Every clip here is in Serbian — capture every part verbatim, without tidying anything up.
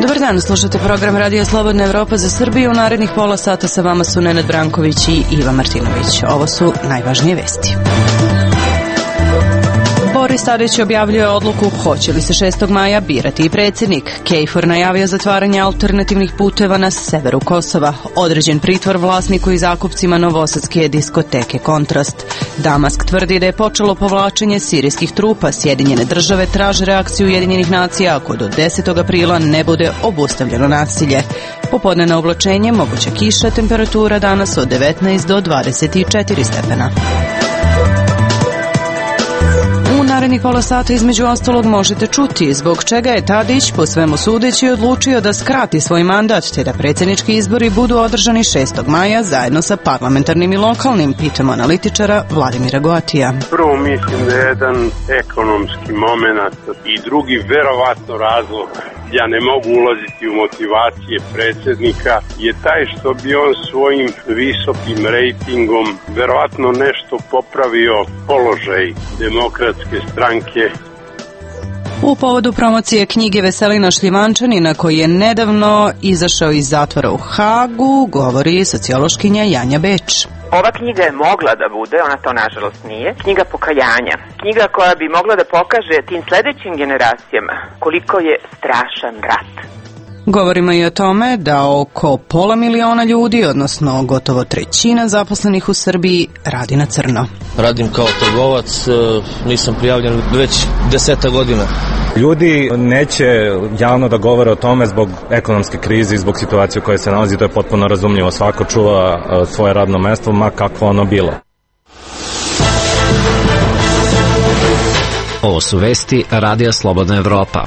Dobar dan, slušate program Radija Slobodna Evropa za Srbiju. U narednih pola sata sa vama su Nenad Branković i Iva Martinović. Ovo su najvažnije vesti. Boris Tadić objavljuje odluku hoće li se šestog maja birati i predsjednik. KFOR najavio zatvaranje alternativnih puteva na severu Kosova. Određen pritvor vlasniku i zakupcima novosadske diskoteke Kontrast. Damask tvrdi da je počelo povlačenje sirijskih trupa. Sjedinjene države traže reakciju Ujedinjenih nacija ako do desetog aprila ne bude obustavljeno nasilje. Popodnevno oblačenje, moguća kiša, temperatura danas od devetnaest do dvadeset četiri stepena. U narednih pola sata između ostalog možete čuti zbog čega je Tadić po svemu sudeći odlučio da skrati svoj mandat te da predsjednički izbori budu održani šestog maja zajedno sa parlamentarnim i lokalnim, pitamo analitičara Vladimira Goatija. Prvo mislim da je jedan ekonomski moment i drugi verovatno razlog, ja ne mogu ulaziti u motivacije predsjednika, je taj što bi on svojim visokim rejtingom verovatno nešto popravio položaj demokratske stranke. U povodu promocije knjige Veselina Šljivančanina, koji je nedavno izašao iz zatvora u Hagu, govori sociološkinja Janja Beč. Ova knjiga je mogla da bude, ona to nažalost nije, knjiga pokajanja. Knjiga koja bi mogla da pokaže tim sledećim generacijama koliko je strašan rat. Govorimo i o tome da oko pola miliona ljudi, odnosno gotovo trećina zaposlenih u Srbiji, radi na crno. Radim kao trgovac, nisam prijavljen već deseta godina. Ljudi neće javno da govore o tome zbog ekonomske krize i zbog situacije u kojoj se nalazi, to je potpuno razumljivo. Svako čuva svoje radno mesto, ma kakvo ono bilo. Ovo su vesti Radija Slobodna Evropa.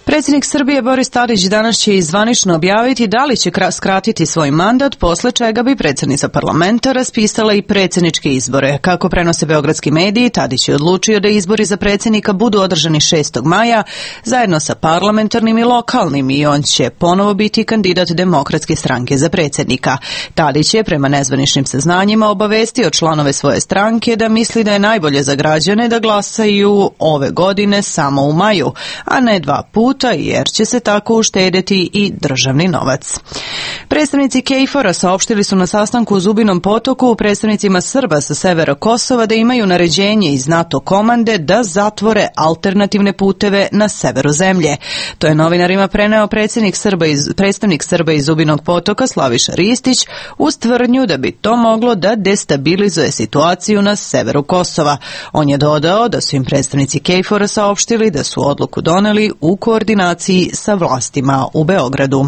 Predsjednik Srbije Boris Tadić danas će i zvanično objaviti da li će skratiti svoj mandat, posle čega bi predsjednica parlamenta raspisala i predsjedničke izbore. Kako prenose beogradski mediji, Tadić je odlučio da izbori za predsjednika budu održani šestog maja zajedno sa parlamentarnim i lokalnim i on će ponovo biti kandidat Demokratske stranke za predsjednika. Tadić je prema nezvaničnim saznanjima obavestio članove svoje stranke da misli da je najbolje za građane da glasaju ove godine samo u maju, a ne dva puta, jer će se tako uštedeti i državni novac. Predstavnici KFOR-a saopštili su na sastanku u Zubinom Potoku predstavnicima Srba sa severa Kosova da imaju naređenje iz NATO komande da zatvore alternativne puteve na severu zemlje. To je novinarima preneo predsjednik Srba iz, predstavnik Srba iz Zubinog Potoka Slaviša Ristić uz tvrdnju da bi to moglo da destabilizuje situaciju na severu Kosova. On je dodao da su im predstavnici KFOR-a saopštili da su odluku doneli u koordinaciji sa vlastima u Beogradu.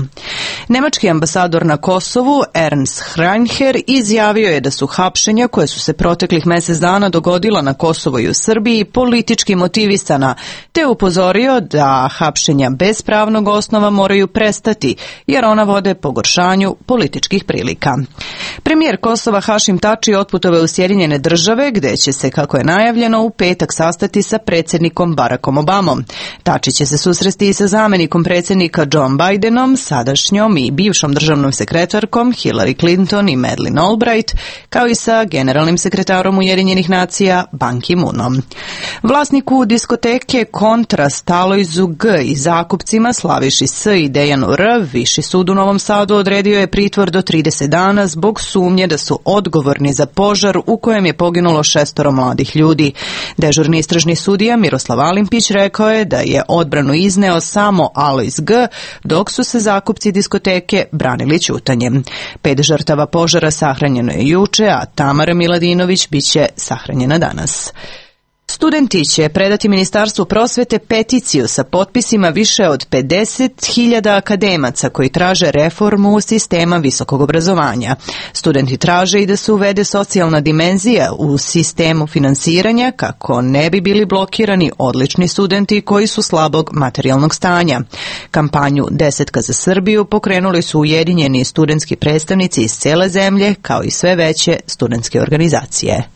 Nemački ambasador na Kosovu Ernst Hrajnher izjavio je da su hapšenja koje su se proteklih mjesec dana dogodila na Kosovu i u Srbiji politički motivisana, te upozorio da hapšenja bez pravnog osnova moraju prestati, jer ona vode pogoršanju političkih prilika. Premijer Kosova Hašim Tači otputovao u Sjedinjene države, gde će se, kako je najavljeno, u petak sastati sa predsjednikom Barackom Obamom. Tači će se susresti i sa zamjenikom predsjednika John Bidenom, sadašnjom i bivšom državnom sekretarkom Hillary Clinton i Madeleine Albright, kao i sa generalnim sekretarom Ujedinjenih nacija Ban Ki-moonom. Vlasniku diskoteke Kontrast Alojzu G i zakupcima Slaviši S i Dejanu R Viši sud u Novom Sadu odredio je pritvor do trideset dana zbog sumnje da su odgovorni za požar u kojem je poginulo šestoro mladih ljudi. Dežurni istražni sudija Miroslav Alimpić rekao je da je odbranu izneo samo Alojz G, dok su se zakupci diskoteke branili ćutanjem. Pet žrtava požara sahranjeno je juče, a Tamara Miladinović biće sahranjena danas. Studenti će predati Ministarstvu prosvete peticiju sa potpisima više od pedeset hiljada akademaca koji traže reformu sistema visokog obrazovanja. Studenti traže i da se uvede socijalna dimenzija u sistemu finansiranja kako ne bi bili blokirani odlični studenti koji su slabog materijalnog stanja. Kampanju Desetka za Srbiju pokrenuli su ujedinjeni studentski predstavnici iz cele zemlje kao i sve veće studentske organizacije.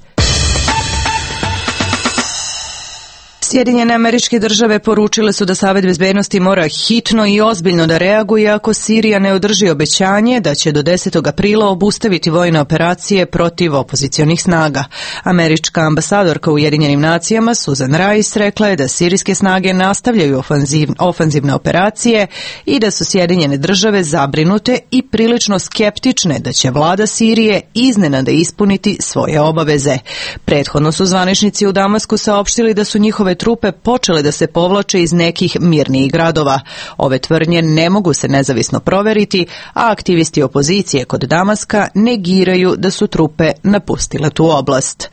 Sjedinjene Američke Države poručile su da Savet bezbednosti mora hitno i ozbiljno da reaguje ako Sirija ne održi obećanje da će do desetog aprila obustaviti vojne operacije protiv opozicionih snaga. Američka ambasadorka u Ujedinjenim nacijama Susan Rice rekla je da sirijske snage nastavljaju ofanziv, ofanzivne operacije i da su Sjedinjene Države zabrinute i prilično skeptične da će vlada Sirije iznenada ispuniti svoje obaveze. Prethodno su zvaničnici u Damasku saopštili da su njihove trupe počele da se povlače iz nekih mirnijih gradova. Ove tvrdnje ne mogu se nezavisno proveriti, a aktivisti opozicije kod Damaska negiraju da su trupe napustile tu oblast.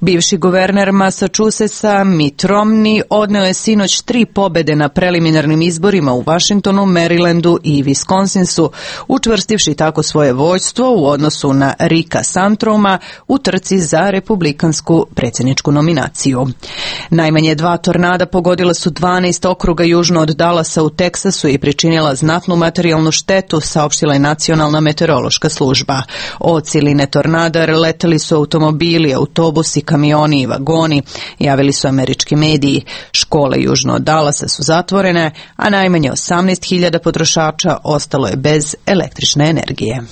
Bivši guverner Massachusettsa Mitt Romney odneo je sinoć tri pobede na preliminarnim izborima u Washingtonu, Marylandu i Wisconsinsu, učvrstivši tako svoje vođstvo u odnosu na Ricka Santoruma u trci za republikansku predsjedničku nominaciju. Najmanje dva tornada pogodila su dvanaest okruga južno od Dallasa u Teksasu i pričinila znatnu materijalnu štetu, saopštila je Nacionalna meteorološka služba. Od siline tornada leteli su automobili, autobusi, kamioni i vagoni, javili su američki mediji. Škole južno od Dallasa su zatvorene, a najmanje osamnaest hiljada potrošača ostalo je bez električne energije.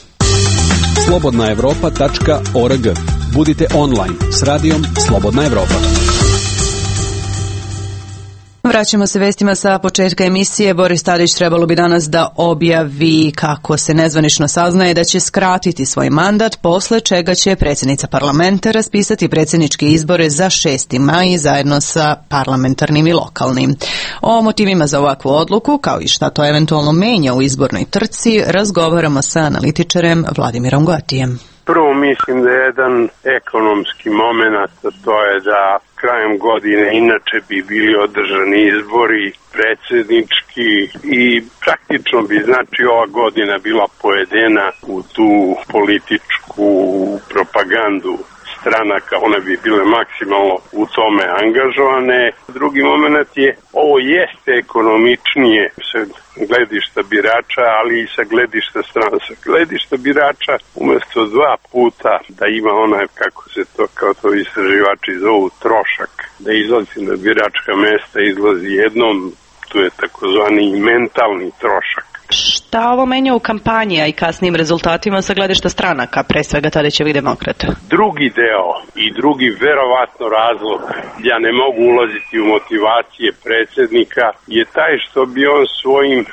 slobodna evropa tačka org. Budite online s radijom Slobodna Evropa. Vraćamo se vestima sa početka emisije. Boris Tadić trebalo bi danas da objavi, kako se nezvanično saznaje, da će skratiti svoj mandat, posle čega će predsjednica parlamenta raspisati predsjedničke izbore za šesti maj zajedno sa parlamentarnim i lokalnim. O motivima za ovakvu odluku, kao i šta to eventualno menja u izbornoj trci, razgovaramo sa analitičarem Vladimirom Goatijem. Prvo mislim da je jedan ekonomski moment, to je da krajem godine inače bi bili održani izbori predsjednički i praktično bi znači ova godina bila pojedena u tu političku propagandu stranaka, one bi bile maksimalno u tome angažovane. Drugi moment je, ovo jeste ekonomičnije sa gledišta birača, ali i sa gledišta strana. Sa gledišta birača umjesto dva puta da ima onaj, kako se to, kao to istraživači zovu, trošak, da izlazi na biračka mesta, izlazi jednom, tu je takozvani mentalni trošak. Šta ovo menja u kampanji, a i kasnijim rezultatima sa gledišta stranaka, pre svega Tadićevih demokrata? Drugi deo i drugi verovatno razlog, ja ne mogu ulaziti u motivacije predsjednika, je taj što bi on svojim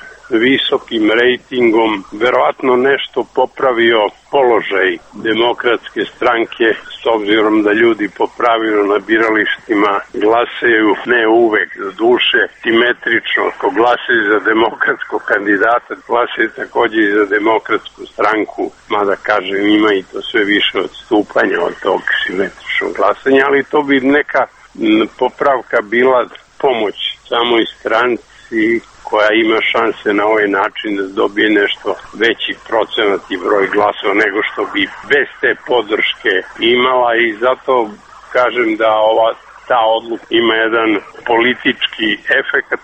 visokim rejtingom verovatno nešto popravio položaj demokratske stranke, s obzirom da ljudi po pravilu na biralištima glasaju, ne uvek za duše, simetrično, ako glasaju za demokratskog kandidata, glasaju također i za demokratsku stranku, mada kažem ima i to sve više odstupanja od tog simetričnog glasanja, ali to bi neka popravka bila pomoć samoj stranci koja ima šanse na ovaj način da dobije nešto veći procenat i broj glasova nego što bi bez te podrške imala, i zato kažem da ova ta odluka ima jedan politički efekat.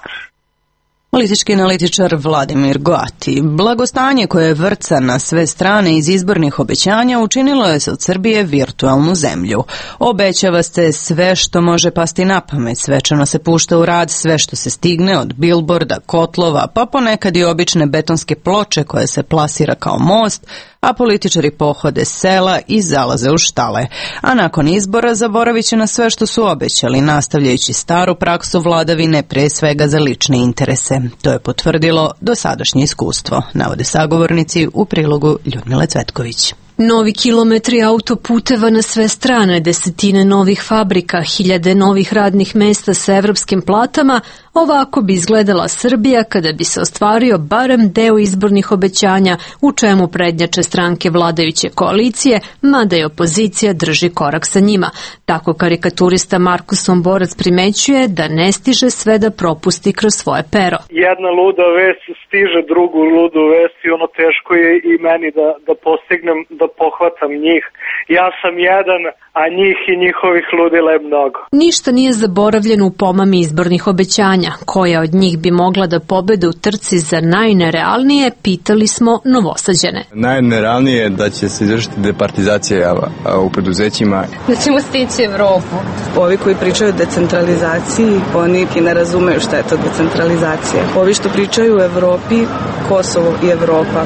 Politički analitičar Vladimir Goati. Blagostanje koje vrca na sve strane iz izbornih obećanja učinilo je se od Srbije virtualnu zemlju. Obećava se sve što može pasti na pamet, svečano se pušta u rad sve što se stigne, od bilborda, kotlova, pa ponekad i obične betonske ploče koje se plasira kao most, a političari pohode sela i zalaze u štale. A nakon izbora zaboravit će na sve što su obećali, nastavljajući staru praksu vladavine, pre svega za lične interese. To je potvrdilo dosadašnje iskustvo, navode sagovornici u prilogu Ljudmile Cvetković. Novi kilometri autoputeva na sve strane, desetine novih fabrika, hiljade novih radnih mesta sa evropskim platama, ovako bi izgledala Srbija kada bi se ostvario barem deo izbornih obećanja, u čemu prednjače stranke vladajuće koalicije, mada i opozicija drži korak sa njima. Tako karikaturista Markus Somborac primećuje da ne stiže sve da propusti kroz svoje pero. Jedna luda vest stiže drugu ludu vest i ono teško je i meni da, da postignem da da pohvatam njih. Ja sam jedan, a njih i njihovih ludila je mnogo. Ništa nije zaboravljeno u pomami izbornih obećanja. Koja od njih bi mogla da pobede u trci za najnerealnije, pitali smo Novosađane. Najnerealnije je da će se izvršiti departizacija u preduzećima. Da ćemo stići Evropu. Ovi koji pričaju o decentralizaciji, oni ne razumeju šta je to decentralizacija. Ovi što pričaju o Evropi, Kosovo i Evropa,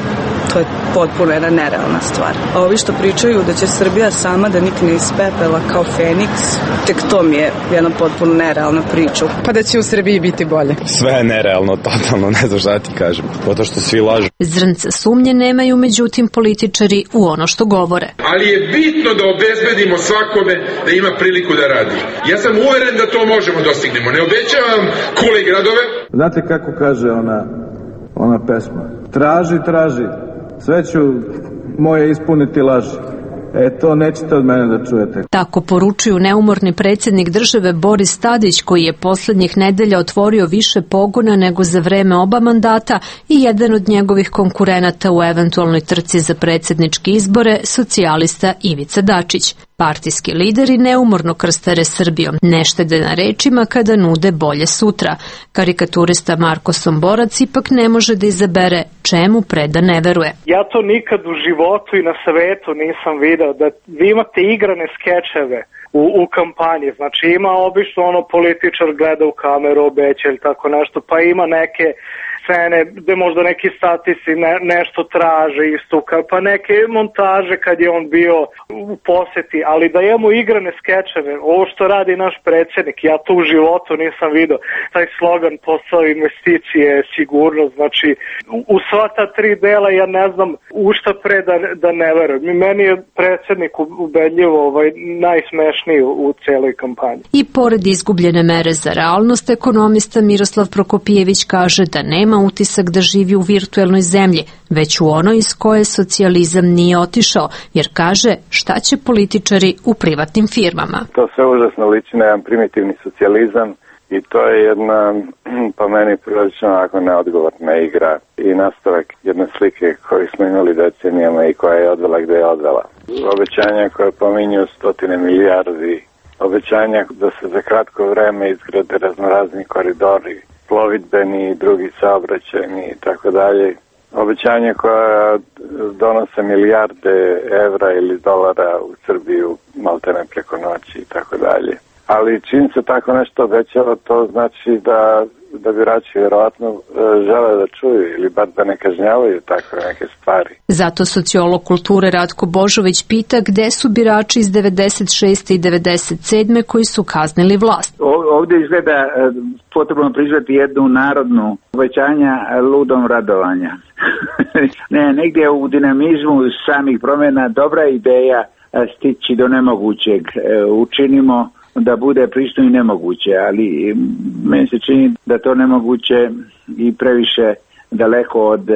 to je potpuno jedna nerealna stvar. A ovi što pričaju da će Srbija sama da nikne iz pepela kao Feniks, tek to mi je jedna potpuno nerealna priča. Pa da će u Srbiji biti bolje. Sve je nerealno, totalno, ne znam šta ti kažem, zato što svi lažu. Zrnca sumnje nemaju međutim političari u ono što govore. Ali je bitno da obezbedimo svakome da ima priliku da radi. Ja sam uveren da to možemo dostignemo. Ne obećavam kule i gradove. Znate kako kaže ona, ona pesma? Traži, traži. Sve ću moje ispuniti laži. E, to nećete od mene da čujete. Tako poručuju neumorni predsjednik države Boris Tadić, koji je poslednjih nedelja otvorio više pogona nego za vreme oba mandata, i jedan od njegovih konkurenata u eventualnoj trci za predsjedničke izbore, socijalista Ivica Dačić. Partijski lideri neumorno krstare Srbijom, ne štede na rečima kada nude bolje sutra. Karikaturista Marko Somborac ipak ne može da izabere čemu pre da ne veruje. Ja to nikad u životu i na svetu nisam video, da vi imate igrane skečeve u, u kampanji. Znači ima obično ono političar gleda u kameru, obeća ili tako nešto, pa ima neke scene gde možda neki statisti ne, nešto traže istuka, pa neke montaže kad je on bio u poseti, ali da imamo igrane skečeve, ovo što radi naš predsjednik, ja to u životu nisam video. Taj slogan posao investicije, sigurnost, znači u, u sva ta tri dela ja ne znam u šta pre da, da ne verujem. Meni je predsjednik ubedljivo ovaj, najsmešniji u, u celoj kampanji. I pored izgubljene mere za realnost, ekonomista Miroslav Prokopijević kaže da nema utisak da živi u virtuelnoj zemlji, već u onoj iz koje socijalizam nije otišao, jer kaže šta će političari u privatnim firmama. To sve užasno liči na jedan primitivni socijalizam i to je jedna, po meni, prilično onako neodgovorna igra i nastavak jedne slike koju smo imali decenijama i koja je odvela gde je odvela. Obećanja koje pominju stotine milijardi, obećanja da se za kratko vreme izgrade raznorazni koridori, plovidbeni i drugi saobraćajni i tako dalje. Obećanja koja donose milijarde evra ili dolara u Srbiju maltene preko noći i tako dalje. Ali čim se tako nešto obećava, to znači da, da birači vjerovatno žele da čuju ili bar da ne kažnjavaju takve neke stvari. Zato sociolog kulture Ratko Božović pita gde su birači iz devedeset šeste i devedeset sedme koji su kaznili vlast. Ovdje izgleda potrebno priznati jednu narodnu obećanja ludom radovanja. ne, negdje u dinamizmu samih promjena dobra ideja stići do nemogućeg. Učinimo da bude pristojno i nemoguće, ali meni se čini da to nemoguće i previše daleko od e,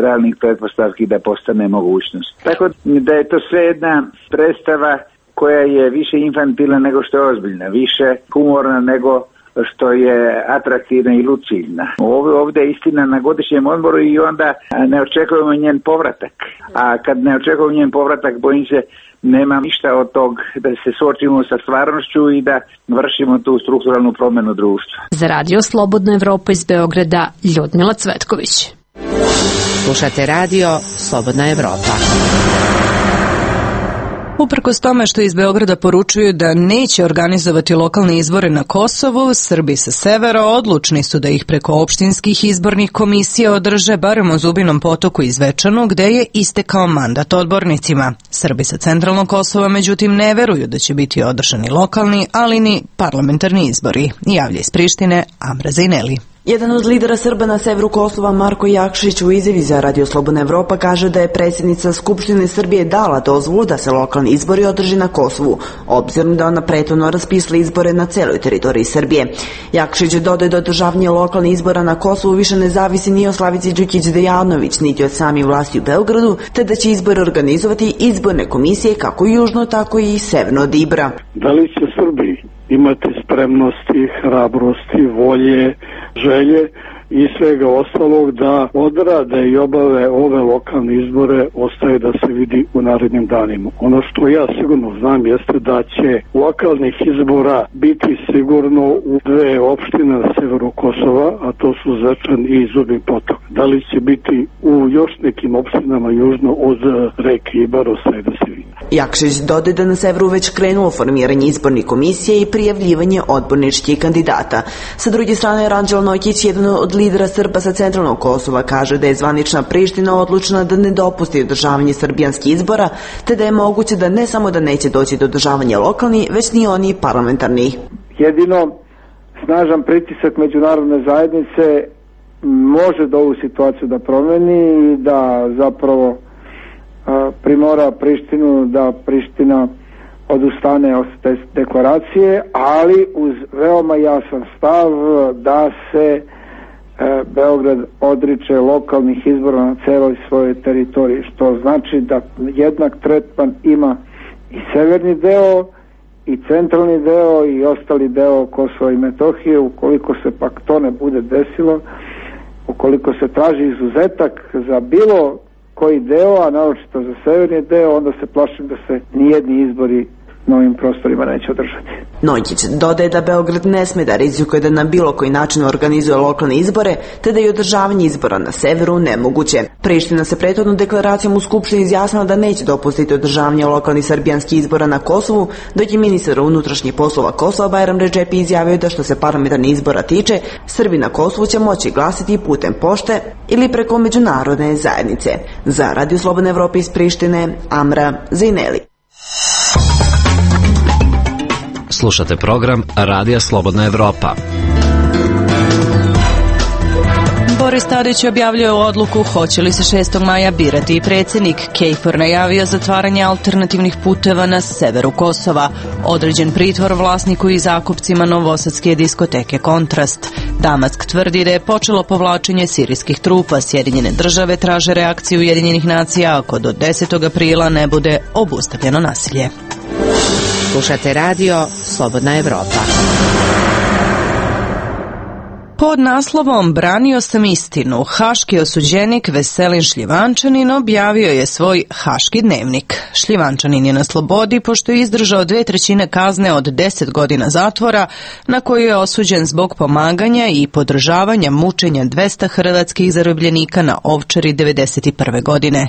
realnih pretpostavki da postane mogućnost. Tako da je to sve jedna predstava koja je više infantilna nego što je ozbiljna, više humorna nego što je atraktivna i lucidna. Ovdje, ovdje je istina na godišnjem odmoru i onda ne očekujemo njen povratak. A kad ne očekujemo njen povratak, bojim se nema ništa od tog da se suočimo sa stvarnošću i da vršimo tu strukturalnu promjenu društva. Za Radio Slobodna Evropa iz Beograda, Ljudmila Cvetković. Slušate Radio Slobodna Evropa. Uprkos tome što iz Beograda poručuju da neće organizovati lokalne izbore na Kosovu, Srbi sa severa odlučni su da ih preko opštinskih izbornih komisija održe barem u Zubinom Potoku i Zvečanu, gde je istekao mandat odbornicima. Srbi sa centralnog Kosova međutim ne veruju da će biti održani lokalni, ali ni parlamentarni izbori. Javlja iz Prištine Amra Zajneli. Jedan od lidera Srba na severu Kosova, Marko Jakšić, u izjavi za Radio Slobodna Evropa kaže da je predsjednica Skupštine Srbije dala dozvolu da se lokalni izbori održi na Kosovu, obzirom da ona prethodno raspisala izbore na celoj teritoriji Srbije. Jakšić dodaje da održavanje lokalnih izbora na Kosovu više ne zavisi ni od Slavice Đukić Dejanović, niti od samih vlasti u Beogradu, te da će izbore organizovati izborne komisije kako južno, tako i severno od Ibra. Da li će Srbi imati spremnosti, hrabrosti, volje, želje i svega ostalog da odrade i obave ove lokalne izbore ostaje da se vidi u narednim danima. Ono što ja sigurno znam jeste da će lokalnih izbora biti sigurno u dve opštine na severu Kosova, a to su Zečan i Zubin Potok. Da li će biti u još nekim opštinama južno od reke Ibar ostaje da se vidi. Jakšić dodaje da na severu već krenulo formiranje izbornih komisije i prijavljivanje odborničkih kandidata. Sa druge strane, Ranđelo Nokić, jedan od lidera Srba sa centralnog Kosova, kaže da je zvanična Priština odlučna da ne dopusti održavanje srbijanskih izbora, te da je moguće da ne samo da neće doći do održavanja lokalni, već ni oni parlamentarni. Jedino snažan pritisak međunarodne zajednice može da ovu situaciju da promeni i da zapravo primora Prištinu da Priština odustane od te deklaracije, ali uz veoma jasan stav da se Beograd odriče lokalnih izbora na celoj svojoj teritoriji, što znači da jednak tretman ima i severni deo i centralni deo i ostali deo Kosova i Metohije. Ukoliko se pak to ne bude desilo, ukoliko se traži izuzetak za bilo koji deo, a naročito za severni deo, onda se plašim da se nijedni izbori na ovim prostorima neće održati. Nojić dodaje da Beograd ne sme da rizikuje da na bilo koji način organizuje lokalne izbore, te da je održavanje izbora na severu nemoguće. Priština se prethodnom deklaracijom u Skupštini izjasnila da neće dopustiti održavanje lokalnih srbijanskih izbora na Kosovu, dok je ministar unutrašnjih poslova Kosova Bajram Redžepi izjavio da što se parlamentarnih izbora tiče, Srbi na Kosovu će moći glasiti putem pošte ili preko međunarodne zajednice. Za Radio Slobodne Evrope iz Prištine, Amra Zejneli. Slušate program Radija Slobodna Evropa. Boris Tadić objavljuje odluku hoće li se šestog maja birati i predsjednik. Kejfor najavio zatvaranje alternativnih puteva na severu Kosova. Određen pritvor vlasniku i zakupcima novosadske diskoteke Kontrast. Damask tvrdi da je počelo povlačenje sirijskih trupa. Sjedinjene države traže reakciju Ujedinjenih nacija ako do desetog aprila ne bude obustavljeno nasilje. Slušate radio Slobodna Evropa. Pod naslovom Branio sam istinu, haški osuđenik Veselin Šljivančanin objavio je svoj haški dnevnik. Šljivančanin je na slobodi pošto je izdržao dve trećine kazne od deset godina zatvora, na koju je osuđen zbog pomaganja i podržavanja mučenja dvesta hrvatskih zarobljenika na Ovčari devedeset prve godine.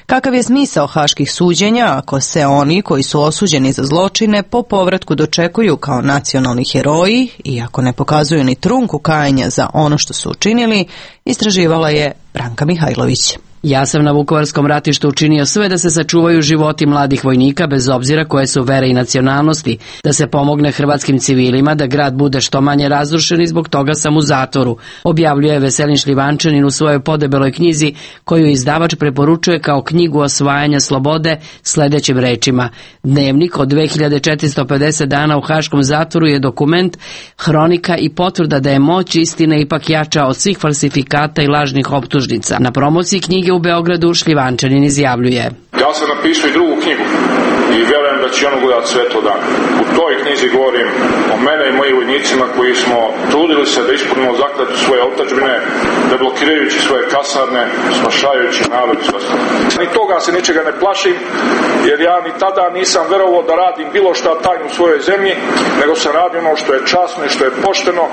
Kakav je smisao haških suđenja ako se oni koji su osuđeni za zločine po povratku dočekuju kao nacionalni heroji i ako ne pokazuju ni trunku kajanja za ono što su učinili, istraživala je Branka Mihajlović. Ja sam na Vukovarskom ratištu učinio sve da se sačuvaju životi mladih vojnika bez obzira koje su vere i nacionalnosti, da se pomogne hrvatskim civilima, da grad bude što manje razrušen i zbog toga sam u zatvoru, objavljuje Veselin Šljivančanin u svojoj podebeloj knjizi koju izdavač preporučuje kao knjigu osvajanja slobode sledećim rečima. Dnevnik od dve hiljade četiristo pedeset dana u haškom zatvoru je dokument, hronika i potvrda da je moć istine ipak jača od svih falsifikata i lažnih optužnica. Na promociji knjige u Beogradu Šljivančanin izjavljuje: Ja sam napisao i drugu knjigu i vjerujem da će ono gledati sve to dan. U toj knjizi govorim o mene i mojim vojnicima koji smo trudili se da ispunimo zakletvu svoje otadžbine, da blokirajući svoje kasarne, spašajući narod i sve ostalo. Ni toga se ničega ne plašim, jer ja ni tada nisam verovao da radim bilo šta tajno u svojoj zemlji, nego sam radio ono što je časno i što je pošteno.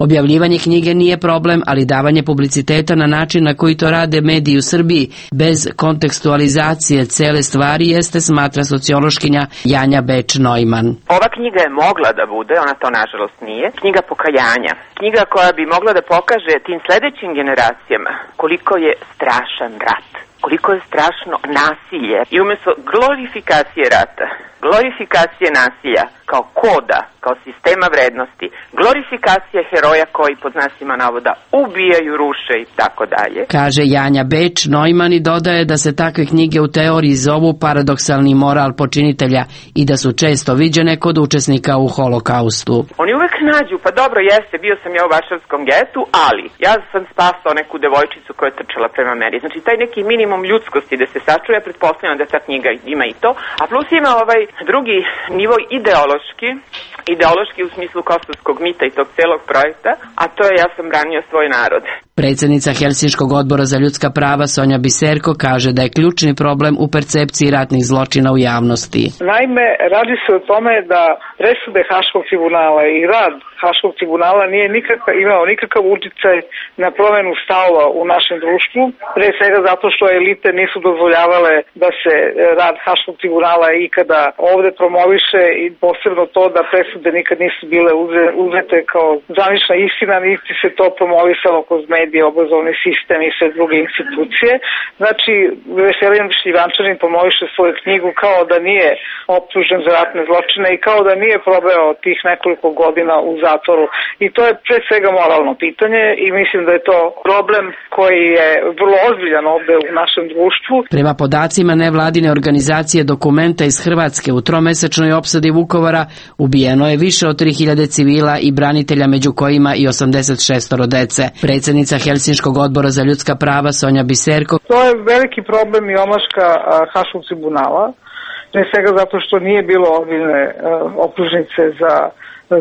Objavljivanje knjige nije problem, ali davanje publiciteta na način na koji to rade mediji u Srbiji, bez kontekstualizacije cele stvari, jeste, smatra sociološkinja Janja Beč-Neumann. Ova knjiga je mogla da bude, ona to nažalost nije, knjiga pokajanja. Knjiga koja bi mogla da pokaže tim sledećim generacijama koliko je strašan rat, koliko je strašno nasilje. I umjesto glorifikacije rata, glorifikacije nasilja kao koda, kao sistema vrednosti, glorifikacija heroja koji pod znacima navoda ubijaju, ruše i tako dalje. Kaže Janja Beč-Neumann i dodaje da se takve knjige u teoriji zovu paradoksalni moral počinitelja i da su često viđene kod učesnika u holokaustu. Oni uvek nađu, pa dobro jeste, bio sam ja u Varšavskom getu, ali ja sam spasao neku devojčicu koja je trčala prema meni. Znači taj neki mini minimum ljudskosti da se sačuje, ja pretpostavljam da ta knjiga ima i to, a plus ima ovaj drugi nivo ideološki, ideološki u smislu kosovskog mita i tog celog projekta, a to je ja sam branio svoj narod. Predsjednica Helsinškog odbora za ljudska prava Sonja Biserko kaže da je ključni problem u percepciji ratnih zločina u javnosti. Naime, radi se o tome da presude Haškog tribunala i rad Haškog tribunala nije nikakav, imao nikakav uticaj na promenu stavova u našem društvu, pre svega zato što elite nisu dozvoljavale da se rad Haškog tribunala ikada ovde promoviše i posebno to da presude nikad nisu bile uzete kao zvanična istina, niti se to promovisalo kroz medije, obrazovni sistem i sve druge institucije. Znači, Veselin Šljivančanin promoviše svoju knjigu kao da nije optužen za ratne zločine i kao da nije probao tih nekoliko godina u zatvoru. I to je pre svega moralno pitanje i mislim da je to problem koji je vrlo ozbiljan ovde u našem društvu. Prema podacima nevladine organizacije Dokumenta iz Hrvatske, u tromesečnoj opsadi Vukovara ubijeno je više od tri hiljade civila i branitelja, među kojima i osamdeset šest dece. Predsjednica Helsinškog odbora za ljudska prava Sonja Biserko. To je veliki problem i omaška Haškog tribunala, ne svega zato što nije bilo ozbiljne optužnice za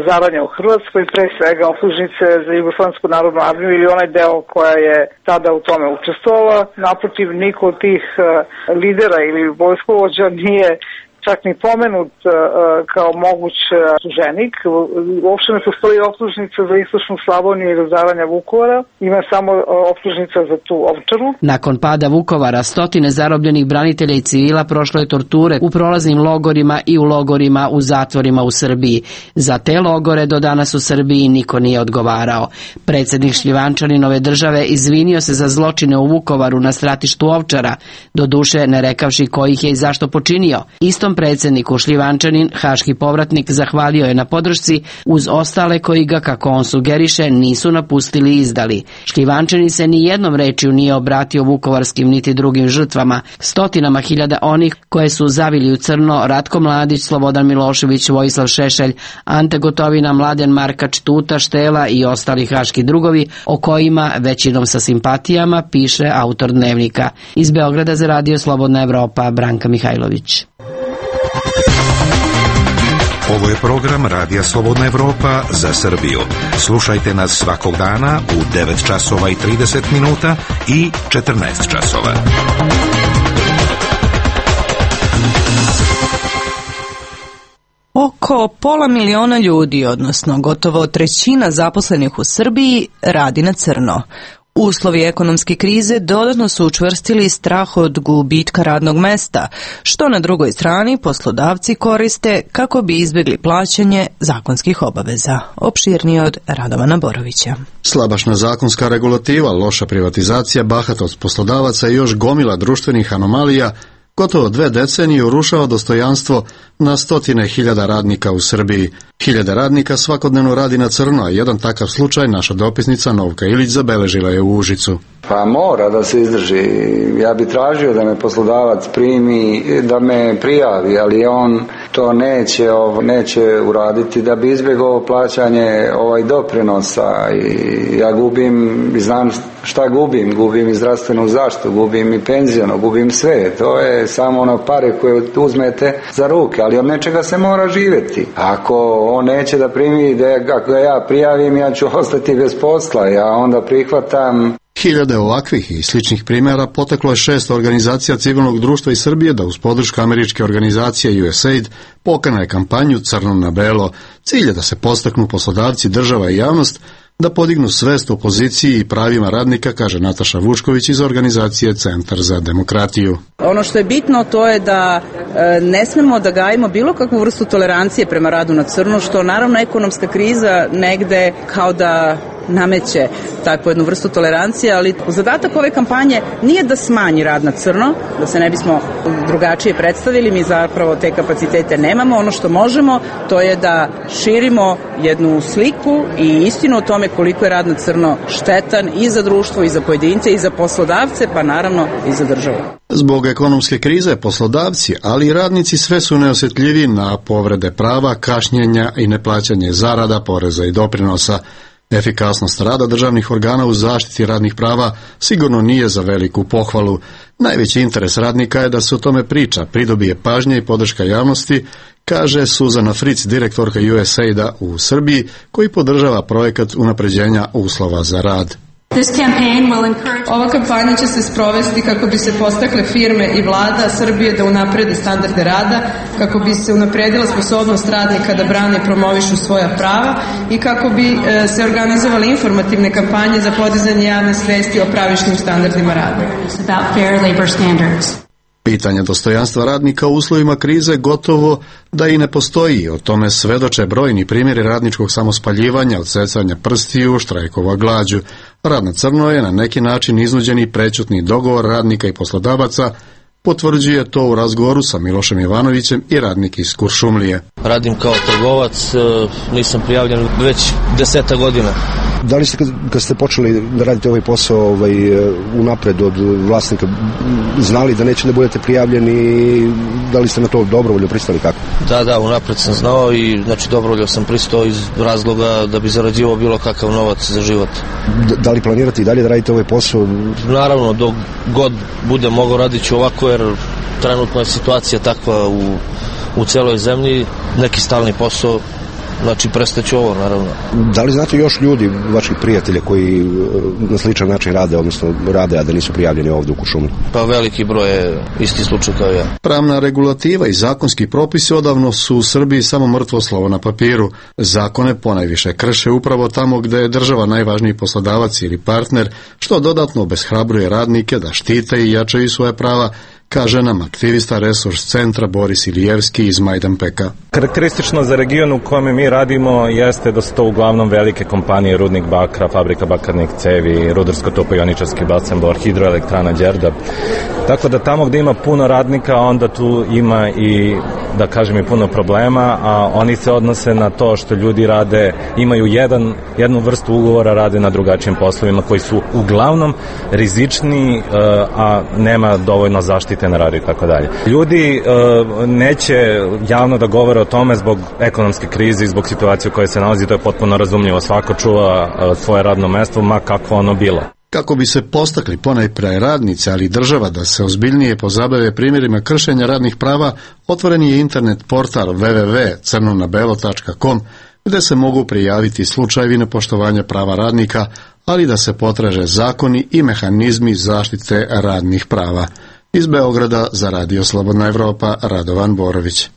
zaranje u Hrvatskoj, pre svega optužnice za Jugoslavensku narodnu armiju ili onaj deo koja je tada u tome učestvovala. Naprotiv, niko od tih lidera ili vojskovođa nije čak ni pomenut uh, kao moguć optuženik. Uopšte ne postoji optužnica za istočnu Slavoniju i razaranja Vukovara. Ima samo uh, optužnica za tu Ovčaru. Nakon pada Vukovara, stotine zarobljenih branitelja i civila prošlo je torture u prolaznim logorima i u logorima u zatvorima u Srbiji. Za te logore do danas u Srbiji niko nije odgovarao. Predsjednik Šljivančaninove države izvinio se za zločine u Vukovaru na stratištu Ovčara, doduše ne rekavši ko ih je i zašto počinio. Istom predsjedniku Šljivančanin, haški povratnik, zahvalio je na podršci uz ostale koji ga, kako on sugeriše, nisu napustili i izdali. Šljivančanin se ni jednom rečju nije obratio vukovarskim niti drugim žrtvama, stotinama hiljada onih koje su zavili u crno Ratko Mladić, Slobodan Milošević, Vojislav Šešelj, Ante Gotovina, Mladen Markač, Tuta, Štela i ostali haški drugovi, o kojima, većinom sa simpatijama, piše autor Dnevnika. Iz Beograda za Radio Slobodna Evropa, Branka Mihajlović. Ovo je program Radija Slobodna Evropa za Srbiju. Slušajte nas svakog dana u devet časova i trideset minuta i četrnaest časova. Oko pola miliona ljudi, odnosno gotovo trećina zaposlenih u Srbiji, radi na crno. Uslovi ekonomske krize dodatno su učvrstili strah od gubitka radnog mesta, što na drugoj strani poslodavci koriste kako bi izbjegli plaćanje zakonskih obaveza. Opširnije od Radovana Borovića. Slabašna zakonska regulativa, loša privatizacija, bahatost poslodavaca i još gomila društvenih anomalija gotovo dve decenije urušava dostojanstvo na stotine hiljada radnika u Srbiji. Hiljade radnika svakodnevno radi na crno, a jedan takav slučaj naša dopisnica Novka Ilić zabeležila je u Užicu. Pa mora da se izdrži. Ja bi tražio da me poslodavac primi, da me prijavi, ali on to neće, neće uraditi da bi izbjegao plaćanje ovaj doprinosa i ja gubim, znam šta gubim, gubim i zdravstvenu zaštitu, gubim i penzijano, gubim sve. To je samo ono pare koje uzmete za ruke, ali od nečega se mora živjeti. Ako on neće da primi, da ako ja prijavim, ja ću ostati bez posla, ja onda prihvatam. Hiljade ovakvih i sličnih primjera poteklo je šest organizacija civilnog društva iz Srbije da uz podršku američke organizacije U S A I D pokrene kampanju Crno na belo. Cilj je da se podstaknu poslodavci, država i javnost da podignu svest o poziciji i pravima radnika, kaže Nataša Vučković iz organizacije Centar za demokratiju. Ono što je bitno to je da e, ne smemo da gajimo bilo kakvu vrstu tolerancije prema radu na crno, što naravno ekonomska kriza negde kao da nameće takvu jednu vrstu tolerancije, ali zadatak ove kampanje nije da smanji rad na crno, da se ne bismo drugačije predstavili, mi zapravo te kapacitete nemamo. Ono što možemo, to je da širimo jednu sliku i istinu o tome koliko je rad na crno štetan i za društvo, i za pojedince, i za poslodavce, pa naravno i za državu. Zbog ekonomske krize poslodavci, ali i radnici sve su neosjetljiviji na povrede prava, kašnjenja i neplaćanje zarada, poreza i doprinosa. Efikasnost rada državnih organa u zaštiti radnih prava sigurno nije za veliku pohvalu. Najveći interes radnika je da se o tome priča, pridobije pažnje i podrška javnosti, kaže Suzana Fritz, direktorka U S A I D-a u Srbiji, koji podržava projekat unapređenja uslova za rad. Ova kampanja će se sprovesti kako bi se podstakle firme i vlada Srbije da unaprede standarde rada, kako bi se unapredila sposobnost radnika da brane i promovišu svoja prava i kako bi e, se organizovale informativne kampanje za podizanje javne svesti o pravičnim standardima rada. Pitanje dostojanstva radnika u uslovima krize gotovo da i ne postoji. O tome svedoče brojni primjeri radničkog samospaljivanja, odsecanja prstiju, štrajkova glađu. Rad na crno je na neki način iznuđeni prećutni dogovor radnika i poslodavaca, potvrđuje to u razgovoru sa Milošem Ivanovićem i radnik iz Kuršumlije. Radim kao trgovac, nisam prijavljen već deseta godina. Da li ste kad, kad ste počeli da radite ovaj posao ovaj, unapred od vlasnika znali da neće da budete prijavljeni, da li ste na to dobrovoljno pristali kako? Da, da, unapred sam znao i znači dobrovoljno sam pristao iz razloga da bi zarađivao bilo kakav novac za život. D- da li planirate i dalje da radite ovaj posao? Naravno, dok god budem mogao radit ću ovako jer trenutno je situacija takva u, u celoj zemlji, neki stalni posao. Znači, prestaću ovo, naravno. Da li znate još ljudi, vaših prijatelja, koji na sličan način rade, odnosno rade, a da nisu prijavljeni ovdje u Kuršumliji? Pa veliki broj je isti slučaj kao ja. Pravna regulativa i zakonski propisi odavno su u Srbiji samo mrtvo slovo na papiru. Zakone ponajviše krše upravo tamo gde je država najvažniji poslodavac ili partner, što dodatno obeshrabruje radnike da štite i jačaju svoje prava, kaže nam aktivista Resurs centra Boris Ilijevski iz Majdanpeka. Karakteristično za region u kojem mi radimo jeste da su to uglavnom velike kompanije, rudnik bakra, fabrika bakarnih cevi, rudarsko-topioničarski basen Bor, hidroelektrana Đerdap. Tako da tamo gde ima puno radnika, onda tu ima i, da kažem, i puno problema, a oni se odnose na to što ljudi rade, imaju jedan, jednu vrstu ugovora, rade na drugačijim poslovima koji su uglavnom rizični, a nema dovoljno zaštite na radu i tako dalje. Ljudi uh, neće javno da govore o tome zbog ekonomske krize i zbog situacije u kojoj se nalazi, to je potpuno razumljivo. Svako čuva uh, svoje radno mesto, ma kako ono bilo. Kako bi se postakli ponajpre radnice, ali i država da se ozbiljnije pozabave primjerima kršenja radnih prava, otvoren je internet portal w w w tačka crno na belo tačka com gde se mogu prijaviti slučajevi nepoštovanja prava radnika, ali da se potraže zakoni i mehanizmi zaštite radnih prava. Iz Beograda za Radio Slobodna Evropa, Radovan Borović.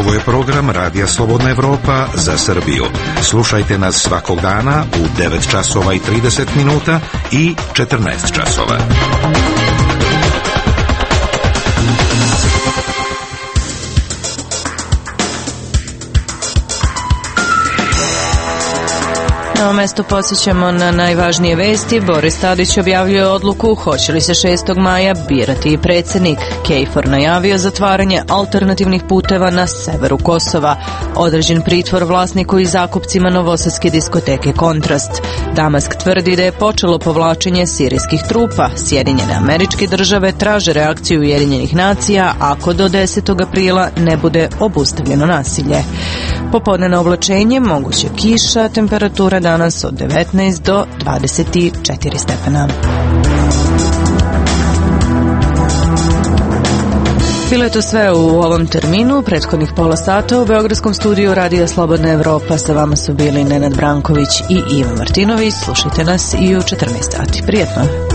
Ovo je program Radija Slobodna Evropa za Srbiju. Slušajte nas svakog dana u devet časova i trideset minuta i četrnaest časova. Na ovom mestu podsjećamo na najvažnije vesti. Boris Tadić objavljuje odluku hoće li se šestog maja birati i predsjednik. KFOR najavio zatvaranje alternativnih puteva na severu Kosova. Određen pritvor vlasniku i zakupcima novosadske diskoteke Kontrast. Damask tvrdi da je počelo povlačenje sirijskih trupa. Sjedinjene Američke Države traže reakciju Ujedinjenih nacija ako do desetog aprila ne bude obustavljeno nasilje. Popodnevno oblačenje, moguće kiša, temperatura danas od devetnaest do dvadeset četiri stepena. Bilo je to sve u ovom terminu. Prethodnih pola sata u Beogradskom studiju Radija Slobodna Evropa sa vama su bili Nenad Branković i Ivan Martinović. Slušajte nas i u četrnaest sati. Prijetno!